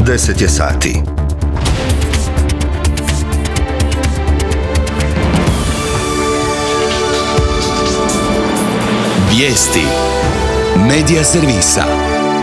10 je sati. Vijesti Medija servisa.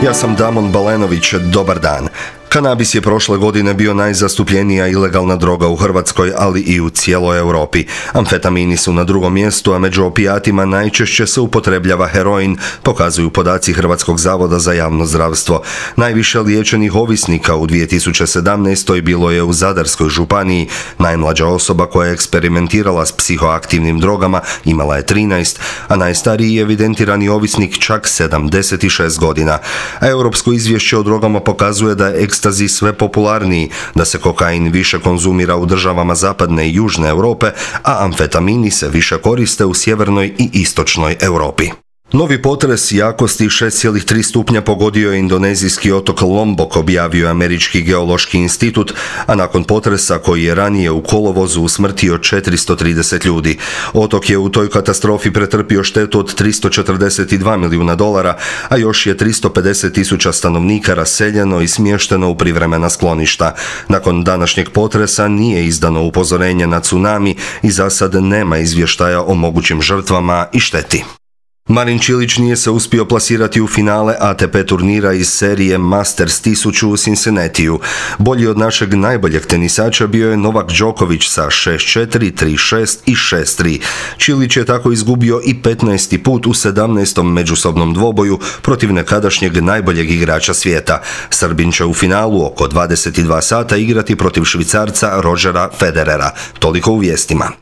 Ja sam Damon Balenović, dobar dan. Kanabis je prošle godine bio najzastupljenija ilegalna droga u Hrvatskoj, ali i u cijeloj Europi. Amfetamini su na drugom mjestu, a među opijatima najčešće se upotrebljava heroin, pokazuju podaci Hrvatskog zavoda za javno zdravstvo. Najviše liječenih ovisnika u 2017. bilo je u Zadarskoj županiji. Najmlađa osoba koja je eksperimentirala s psihoaktivnim drogama imala je 13, a najstariji evidentirani ovisnik čak 76 godina. A europsko izvješće o drogama pokazuje da je ekstazi sve popularniji, da se kokain više konzumira u državama zapadne i južne Europe, a amfetamini se više koriste u sjevernoj i istočnoj Europi. Novi potres jakosti 6,3 stupnja pogodio je indonezijski otok Lombok, objavio je Američki geološki institut, a nakon potresa koji je ranije u kolovozu usmrtio 430 ljudi. Otok je u toj katastrofi pretrpio štetu od $342 milijuna, a još je 350.000 stanovnika raseljeno i smješteno u privremena skloništa. Nakon današnjeg potresa nije izdano upozorenje na tsunami i za sad nema izvještaja o mogućim žrtvama i šteti. Marin Čilić nije se uspio plasirati u finale ATP turnira iz serije Masters 1000 u Cincinnatiju. Bolji od našeg najboljeg tenisača bio je Novak Đoković sa 6-4, 3-6 i 6-3. Čilić je tako izgubio i 15. put u 17. međusobnom dvoboju protiv nekadašnjeg najboljeg igrača svijeta. Srbin će u finalu oko 22 sata igrati protiv Švicarca Rodgera Federera. Toliko u vijestima.